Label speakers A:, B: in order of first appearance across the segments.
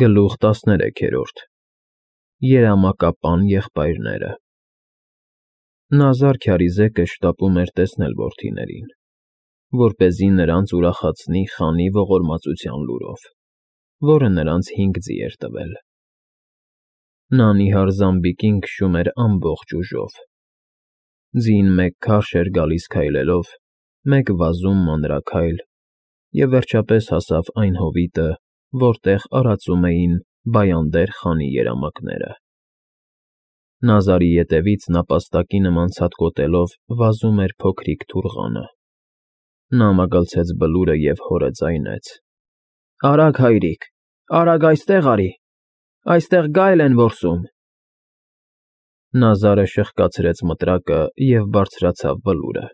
A: Գլուխ 13 Երամակապան եղբայրները Նազար քյարիզեկը շտապում էր տեսնել որդիներին, որպեսզի նրանց ուրախացնի խանի ողորմածության լուրով, որը նրանց 5 ձի էր տվել։ Նա նիհար զամբիկին քշում էր ամբողջ ուժով։ Ձին մեկ քարշ էր գալիս քայլելով, մեկ վազում մանրաքայլ, և վերջապես հասավ այն հովիտը, որտեղ արածում էին Բայանդեր խանի երամակները։ Նազարի ետևից նապաստակի նման ցատկոտելով վազում էր փոքրիկ թուռղանը։ Նա մագլցեց Բլուրը և հորը ձայնեց. «Արագ, հայրիկ, արագ այստեղ արի, այստեղ գայլ են որսում»։ Նազարը շրխկացրեց մտրակը և բարձրացավ Բլուրը։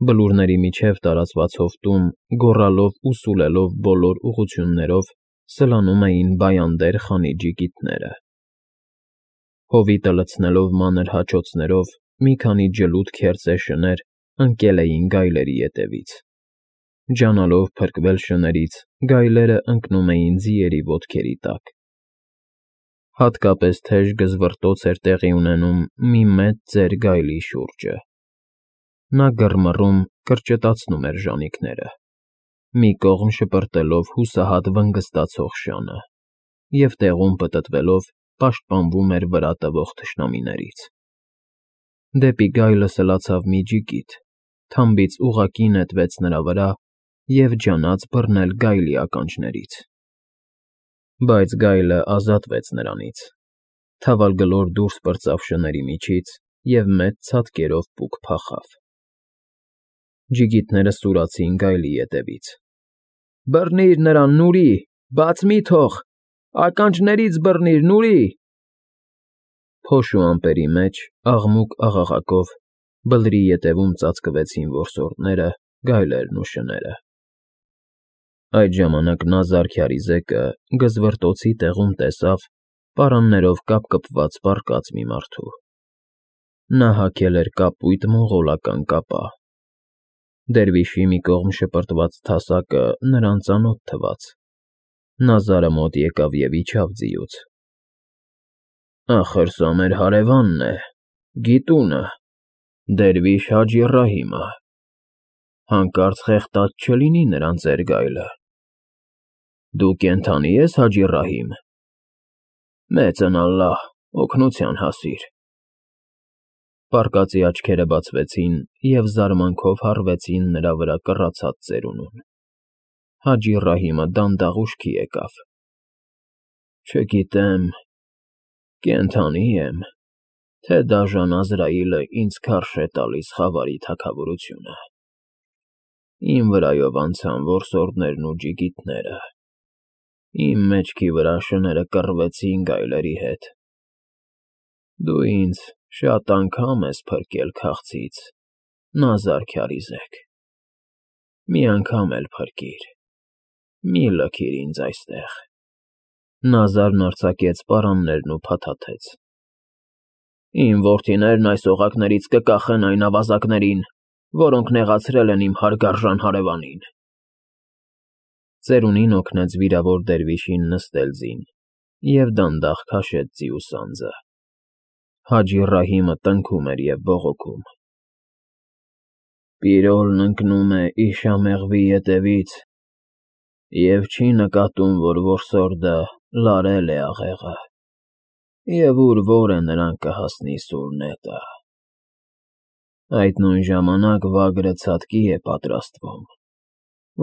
A: Բլուրների միջև տարածված հովտում, գոռալով ու սուլելով բոլոր ուղղություններով, սլանում էին Բայանդեր խանի ջիգիտները։ Հովիտը լցնելով մանր հաչոցներով, մի քանի ջլուդ քերծե շներ ընկել էին գայլերի ետևից։ Ջանալով փրկվել շներից, գայլերը ընկնում էին ձիերի ոտքերի տակ։ Հատկապես թեժ գզվռտոց էր տեղի ունենում մի մեծ ծեր գայլի շուրջը։ Նա գռմռում, կրճտացնում էր ժանիքները, մի կողմ շպրտելով հուսահատ վնգստացող շանը, և տեղում պտտվելով պաշտպանվում էր վրա տվող թշնամիներից։ Դեպի գայլը սլացավ մի ջիգիտ, թամբից ուղղակի նետվեց նրա վրա և ջանաց բռնել գայլի ականջներից։ Բայց գայլը ազատվեց նրանից, թավալգլոր դուրս պրծավ շների միջից և մեծ ցատկերով պուկ փախավ։ Ջիգիտները սուրացին գայլի ետևից։ «Բռնի՛ր նրան, Նուրի, բաց մի՛ թող, ականջներից բռնի՛ր, Նուրի»։ Փոշ ու ամպերի մեջ, աղմուկ֊աղաղակով, Բլրի ետևում ծածկվեցին որսորդները, գայլերն ու շները։ Այդ ժամանակ Նազար քյարիզեկը գզվռտոցի տեղում տեսավ պարաններով կապկպված պառկած մի մարդու։ Նա հագել էր կապույտ մոնղոլական կապա։ Դերվիշի մի կողմ շպրտված թասակը նրան ծանոթ թվաց։ Նազարը մոտ եկավ և իջավ ձիուց։ «Ախր սա մեր հարևանն է, գիտունը, դերվիշ Հաջի Ռահիմը, հանկարծ խեղդած չլինի նրան ծեր գայլը։ Դու կենդանի ես, Հաջի Ռահիմ, մեծն ալլահ, օգնության հասիր»։ Պառկածի աչքերը բացվեցին և զարմանքով հառվեցին նրա վրա կռացած ծերունուն։ Հաջի Ռահիմը դանդաղ ուշքի եկավ։ «Չգիտեմ, կենդանի եմ, թե դաժան Ազրայիլը ինձ քարշ է տալիս խավարի թագավորությունը։ Իմ վրայով անցան որսորդներն ու ջիգիտները, իմ մեջքի վրա շները կռվեցին գայլերի հետ։ Դու ինձ շատ անգամ ես փրկել քաղցից, Նազար քյարիզեկ, մի անգամ էլ փրկիր, մի լքիր ինձ այստեղ»։ Նազարն արձակեց պարաններն ու փաթաթեց։ «Իմ որդիներն այս օղակներից կկախեն այն ավազակներին, որոնք նեղացրել են իմ հարգարժան հարևանին»։ Ծերունին օգնեց վիրավոր դերվիշին նստել ձին և դանդաղ քաշեց ձիու սանձը։ Հաջի Ռահիմը տնքում էր և բողոքում. «Պիրոլն ընկնում է իշամեղվի ետևից և չի նկատում, որ որսորդը լարել է աղեղը, և ուր որ է նրան կհասնի սուր նետը։ Այդ նույն ժամանակ վագրը ցատկի է պատրաստվում,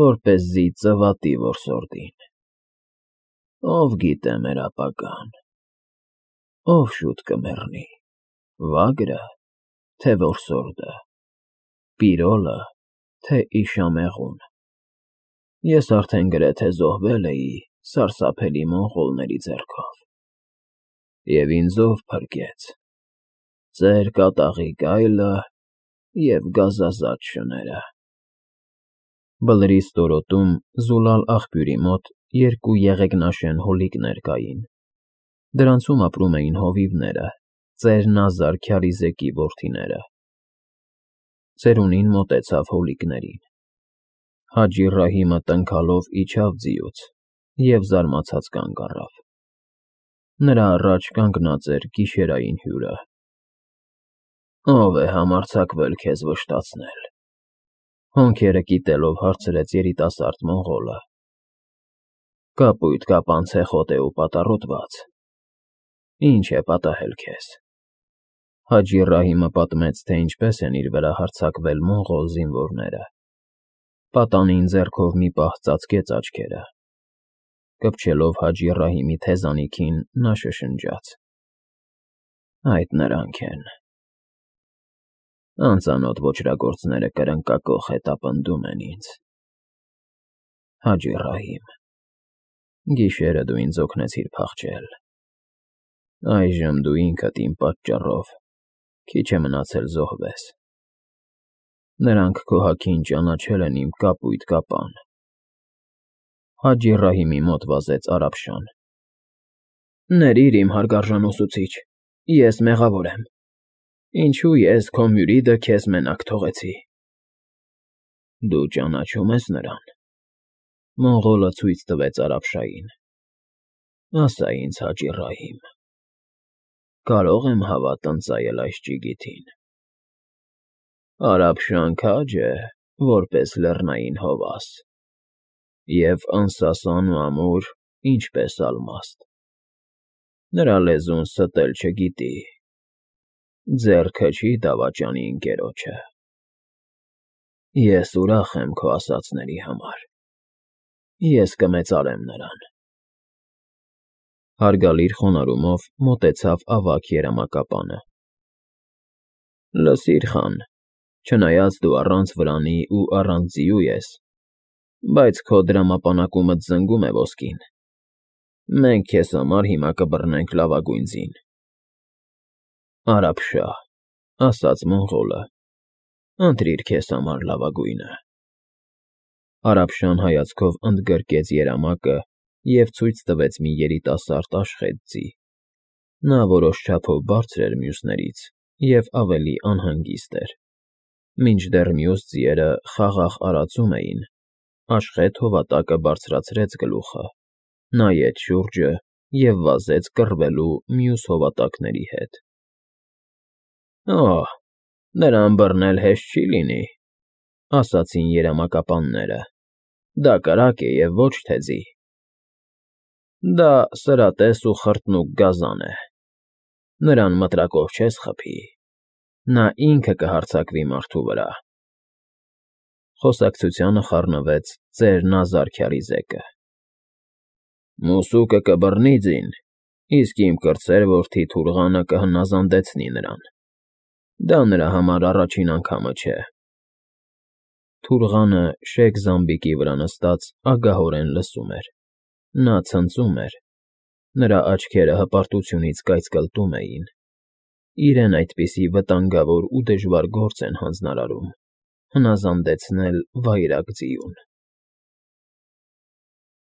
A: որպեսզի ծվատի որսորդին։ Ով գիտե մեր ապագան, ով շուտ կմեռնի, վա՞գրը, թե որսորդը, պիրոլը, թե իշամեղուն։ Ես արդեն գրեթե զոհվել էի սարսափելի մոնղոլների ձեռքով, և ինձ ով փրկեց՝ ծեր կատաղի գայլը և գազազած շները»։ Բլրի ստորոտում, զուլալ աղբյուրի մոտ, երկու եղեգնաշեն հովիկներ կային։ Դրանցում ապրում էին հովիվները, ծեր Նազար քյարիզեկի որդիները։ Ծերունին մոտեցավ հովիկներին։ Հաջի Ռահիմը տնքալով իջավ ձիուց և զարմացած կանգ առավ։ Նրա առաջ կանգնած էր գիշերային հյուրը։ «Ո՞վ է համարձակվել քեզ վշտացնել», հոնքերը կիտելով հարցրեց երիտասարդ մոնղոլը։ «Կապույտ կապան ցեխոտ է ու պատառոտված։ Ինչ է պատահել քեզ»։ Հաջի Ռահիմը պատմեց, թե ինչպես են իր վրա հարձակվել մոնղոլ զինվորները։ Պատանին ձեռքով մի պահ ծածկեց աչքերը։ Կպչելով Հաջի Ռահիմի թեզանիքին, նա շշնջաց. «Այդ նրանք են»։ Անծանոթ ոճրագործները կրնկակոխ հետապնդում են ինձ։ Հաջի Ռահիմ, գիշերը դու ինձ օգնեցիր փախչել։ Այժմ դու ինքդ իմ պատճառով քիչ է մնացել զոհվես։ Նրանք քո հագին ճանաչել են իմ կապույտ կապան։ Հաջի Ռահիմի մոտ վազեց Արաբշան։ Ներիր իմ հարգարժան ուսուցիչ, ես մեղավոր եմ։ Ինչու ես քո մյուրիդը քեզ մենակ թողեցի։ Դու ճանաչում ես նրան։ Մոնղոլը ցույց տվեց Արաբշային։ Ասա ինձ, Հաջի Ռահիմ, կարող եմ հավատ ընծայել այս ճիգիթին։ Արաբշան քաջ է, որպես լեռնային հովաս, և անսասան ու ամուր, ինչպես ալմաստ։ Նրա լեզուն ստել չգիտի, ձեռքը չի դավաճանի ընկերոջը։ Ես ուրախ եմ քո ասածների համար։ Ես կմեծարեմ նրան։ Հարգալիր խոնարհումով մոտեցավ ավագ երամակապանը։ Լսիր, խան, չնայած դու առանց վրանի ու առանց ձիու ես, բայց քո դրամապանակումդ զնգում է ոսկին։ Մենք քեզ համար հիմա կբռնենք լավագույն ձին։ Արաբշա, ասաց մոնղոլը, ընտրիր քեզ համար լավագույնը։ Արաբշան հայացքով ընդգրկեց երամակը և ցույց տվեց մի երիտասարդ աշխատ ձի։ Նա որոշ չափով բարձր էր մյուսներից և ավելի անհանգիստ էր։ Մինչդեռ մյուս ձիերը խաղաղ արածում էին, աշխատ հովատակը բարձրացրեց գլուխը, նայեց շուրջը և վազեց կռվելու մյուս հովատակների հետ։ Օհ, նրան բռնել հեշտ չի լինի, ասացին երամակապանները։ Դա կրակ է և ոչ թե ձի։ Դա սրատես ու խրտնուկ գազան է։ Նրան մտրակով չես խփի։ Նա ինքը կհարձակվի մարդու վրա։ Խոսակցությանը խառնվեց ծեր Նազար քյարիզեկը։ Մուսուկը կբռնի ձին, իսկ իմ կրտսեր որդի Թուրղանը կհնազանդեցնի նրան։ Դա նրա համար առաջին անգամը չէ։ Թուրղանը շեկ զամբիկի վրա նստած ագահորեն լսում էր։ Նա ցնծում էր։ Նրա աչքերը հպարտությունից կայծկլտում էին։ Իրեն այդպիսի վտանգավոր ու դժվար գործ են հանձնարարում՝ հնազանդեցնել վայրագ ձիուն։